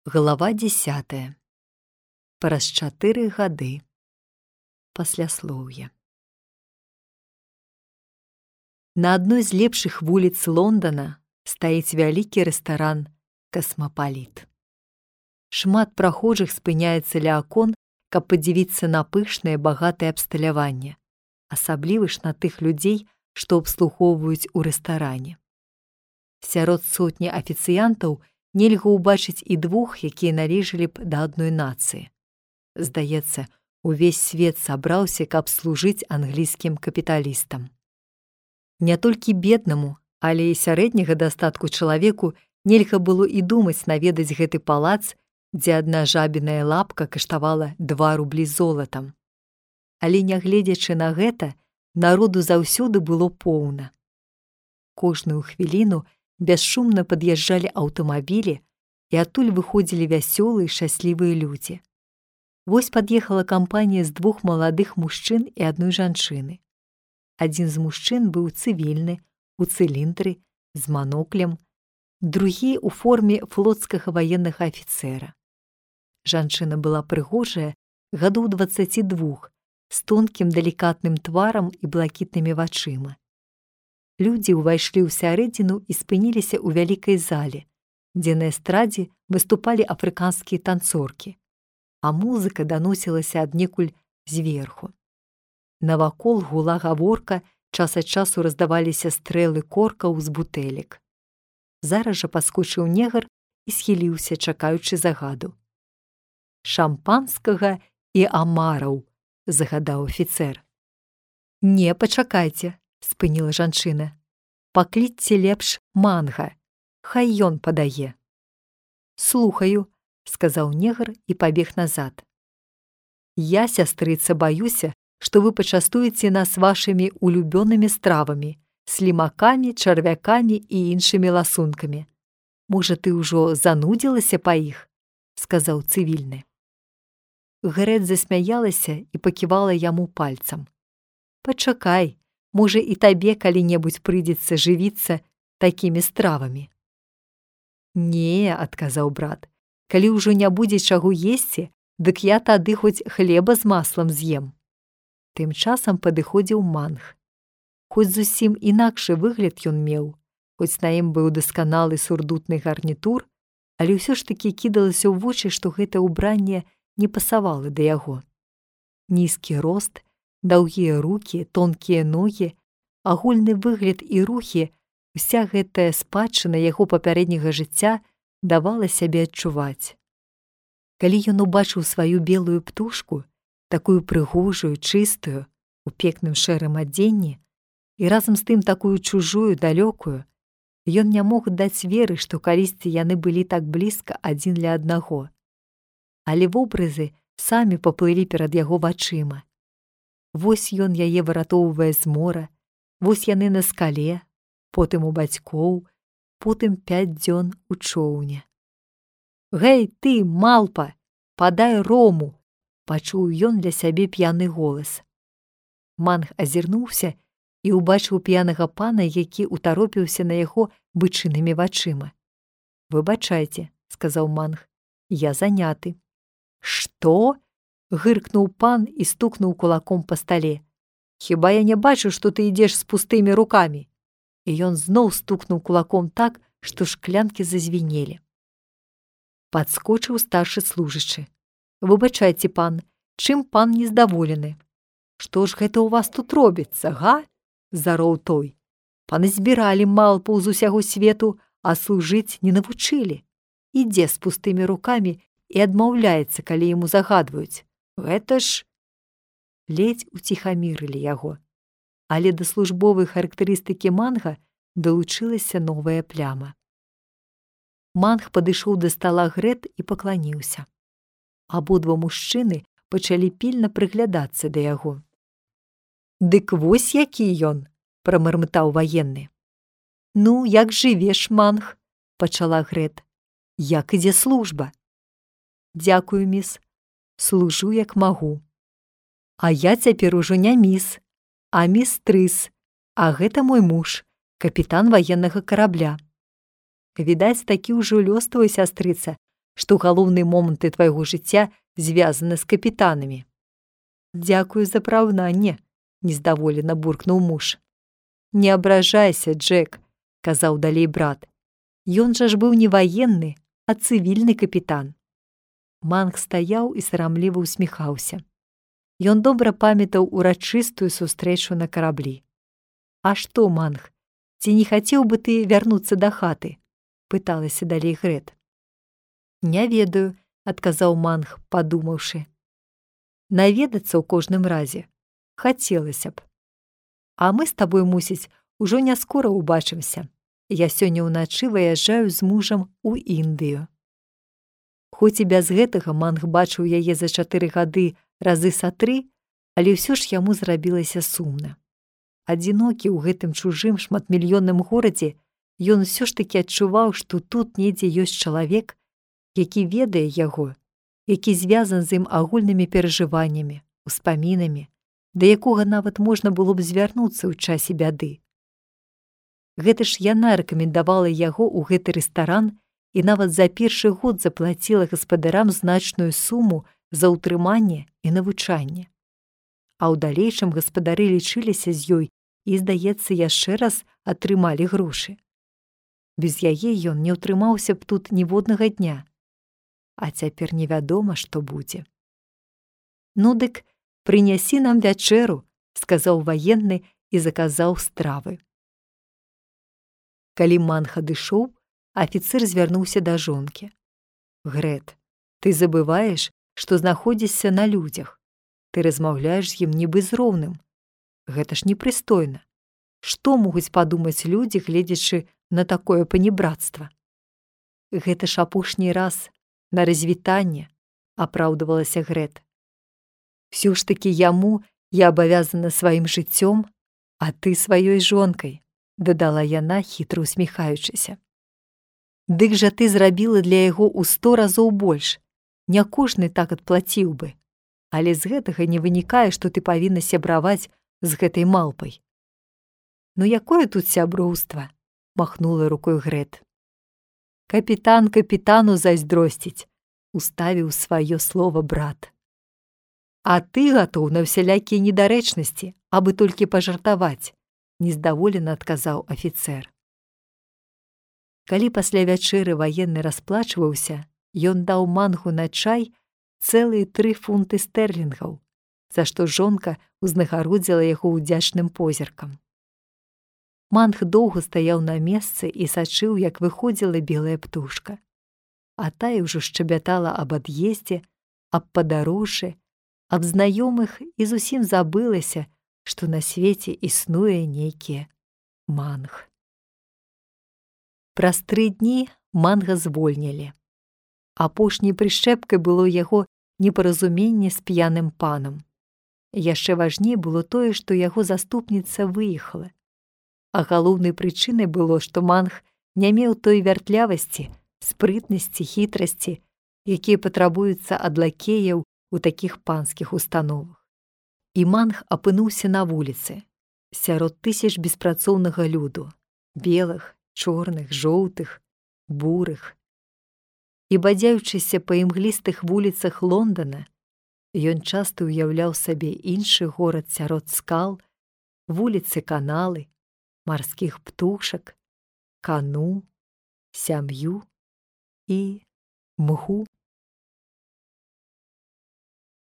Глава 10. Праз 4 гады. Пасляслоўе. На адной з лепшых вуліц Лондана стаіць вялікі рэстаран «Касмапаліт». Шмат прахожых спыняецца ля акон, каб падзівіцца на пышнае багатае абсталяванне, асабліва ж на тых людзей, што абслугоўваюць у рэстаране. Сярод сотні афіцыянтаў нельга ўбачыць і двух, якія належалі б да адной нацыі. Здаецца, увесь свет сабраўся, каб служыць англійскім капіталістам. Не толькі беднаму, але і сярэдняга дастатку чалавеку нельга было і думаць наведаць гэты палац, дзе адна жабіная лапка каштавала 2 рублі золатам. Але нягледзячы на гэта, народу заўсёды было поўна. Кожную хвіліну бесшумна пад'язджалі аўтамабілі, і адтуль выходзілі вясёлыя, шчаслівыя людзі. Вось пад'ехала кампанія з 2 маладых мужчын і адной жанчыны. Адзін з мужчын быў цывільны, у цыліндры, з маноклем, другі ў форме флотскага ваеннага афіцэра. Жанчына была прыгожая, гадоў 22, з тонкім далікатным тварам і блакітнымі вачыма. Людзі ўвайшлі ў сярэдзіну і спыніліся ў вялікай зале, дзе на эстрадзе выступалі афрыканскія танцоркі, а музыка даносілася аднекуль зверху. Навакол гула гаворка, час ад часу раздаваліся стрэлы коркаў з бутэлек. Зараз жа падскочыў негр і схіліўся, чакаючы загаду. «Шампанскага і амараў», – загадаў афіцэр. «Не, пачакайце», – спыніла жанчына. «Паклічце лепш манга, хай ён падае». «Слухаю», – сказаў негр і пабег назад. «Я, сястрыца, баюся, што вы пачастуеце нас вашымі улюбёнымі стравамі, слімакамі, чарвякамі і іншымі ласункамі. Можа, ты ўжо занудзілася па іх?» – сказаў цывільны. Грэт засмяялася і паківала яму пальцам. «Пачакай, можа, і табе калі-небудзь прыйдзецца жывіцца такімі стравамі». «Не», – адказаў брат, «калі ўжо не будзе чаго есці, дык я тады хоць хлеба з маслам з'ем». Тым часам падыходзіў манг. Хоць зусім інакшы выгляд ён меў, хоць на ім быў дасканалы сурдутны гарнітур, але ўсё ж такі кідалася ў вочы, што гэта ўбранне не пасавала да яго. Нізкі рост, даўгія рукі, тонкія ногі, агульны выгляд і рухі, уся гэтая спадчына яго папярэдняга жыцця давала сябе адчуваць. Калі ён убачыў сваю белую птушку, такую прыгожую, чыстую, у пекным шэрым адзенні, і разам з тым такую чужую, далёкую, ён не мог даць веры, што калісьці яны былі так блізка адзін ля аднаго. Але вобразы самі паплылі перад яго вачыма. Вось ён яе выратоўвае з мора, вось яны на скале, потым у бацькоў, потым 5 дзён у чоўне. «Гэй, ты, малпа, падай рому!» – пачуў ён для сябе п'яны голас. Манг азірнуўся і ўбачыў п'янага пана, які ўтаропіўся на яго бычынымі вачыма. «Выбачайце», – сказаў манг, – «я заняты». «Што?» – гыркнуў пан і стукнуў кулаком па стале. «Хіба я не бачу, што ты ідзеш з пустымі рукамі?» І ён зноў стукнуў кулаком так, што шклянкі зазвінелі. Падскочыў старшы служачы. «Выбачайце, пан, чым пан нездаволены?» «Што ж гэта ў вас тут робіцца, га?» – зароў той. «Паназбіралі малпаў з усяго свету, а служыць не навучылі. Ідзе з пустымі рукамі і адмаўляецца, калі яму загадваюць. Гэта ж…» Ледзь уціхамірылі яго. Але да службовай характарыстыкі манга далучылася новая пляма. Манг падышоў да стала Грэт і пакланіўся. Абодва мужчыны пачалі пільна прыглядацца да яго. «Дык вось які ён!» – прамармытаў ваенны. «Ну, як жывеш, манг?» – пачала Грэт. «Як ідзе служба?» «Дзякую, міс. Служу, як магу». «А я цяпер ужо не міс, а містрыс, а гэта мой муж, капітан ваеннага карабля». «Відаць, такі ўжо лёс твой, сястрыца, што галоўныя моманты твайго жыцця звязаны з капітанамі. Дзякую за параўнанне, нездаволена буркнуў муж. Не абражайся, Джек, казаў далей брат. Ён жа ж быў не ваенны, а цывільны капітан. Манг стаяў і сарамліва ўсміхаўся. Ён добра памятаў урачыстую сустрэчу на караблі. А што, Манг, ці не хацеў бы ты вярнуцца да хаты? Пыталася далей Грэт. Не ведаю, адказаў Манг, падумаўшы. Наведацца ў кожным разе. Хацелася б. А мы з табой, мусіць, ужо не скора ўбачымся. Я сёння ўначы выязджаю з мужам у Індыю. Хоць і без гэтага Манг бачыў яе за 4 гады разы са 3, але ўсё ж яму зрабілася сумна. Адзінокі ў гэтым чужым шматмільённым горадзе, ён усё ж такі адчуваў, што тут недзе ёсць чалавек, які ведае яго, які звязан з ім агульнымі перажываннямі, успамінамі, да якога нават можна было б звярнуцца ў часе бяды. Гэта ж яна рэкамендавала яго ў гэты рэстаран і нават за першы год заплаціла гаспадарам значную суму за ўтрыманне і навучанне. А ў далейшым гаспадары лічыліся з ёй і, здаецца, яшчэ раз атрымалі грошы. Без яе ён не ўтрымаўся б тут ніводнага дня. А цяпер невядома, што будзе. Ну дык, прынясі нам вячэру, сказаў ваенны і заказаў стравы. Калі Манг адышоў, афіцэр звярнуўся да жонкі. Грэт, ты забываеш, што знаходзішся на людзях. Ты размаўляеш з ім нібы з роўным. Гэта ж непрыстойна. Што могуць падумаць людзі, гледзячы на такое панібрацтва? Гэта ж апошні раз на развітанне, апраўдывалася Грэт. Всё ж такі яму я абавязана сваім жыццём, а ты сваёй жонкай, дадала яна, хітра усміхаючыся. Дык жа ты зрабіла для яго ў 100 разоў больш. Не кожны так адплаціў бы. Але з гэтага не вынікае, што ты павінна сябраваць з гэтай малпай. Ну якое тут сяброўства? Махнула рукой Грэт. Капітан капітану зайздросціць, уставіў сваё слова брат. А ты гатоў на ўсялякія недарэчнасці, абы толькі пажартаваць, нездаволена адказаў афіцэр. Калі пасля вячэры ваенны расплачваўся, ён даў Мангу на чай цэлыя 3 фунты стэрлінгаў, за што жонка ўзнагародзіла яго ўдзячным позіркам. Манг доўга стаяў на месцы і сачыў, як выходзіла белая птушка. А тая ўжо шчабятала аб ад'ездзе, аб падарожжы, аб знаёмых і зусім забылася, што на свеце існуе нейкі Манг. Праз 3 дні Манга звольнілі. Апошняй прышчэпкай было яго непаразуменне з п'яным панам. Яшчэ важней было тое, што яго заступніца выехала. А галоўнай прычынай было, што Манг не меў той вяртлявасці, спрытнасці, хітрасці, якія патрабуюцца ад лакеяў у такіх панскіх установах. І Манг апынуўся на вуліцы, сярод тысяч беспрацоўнага люду, белых, чорных, жоўтых, бурых. І бадзяючыся па імглістых вуліцах Лондана, ён часта ўяўляў сабе іншы горад сярод скал, вуліцы каналы, марскіх птушак, кану, сям'ю і мгу.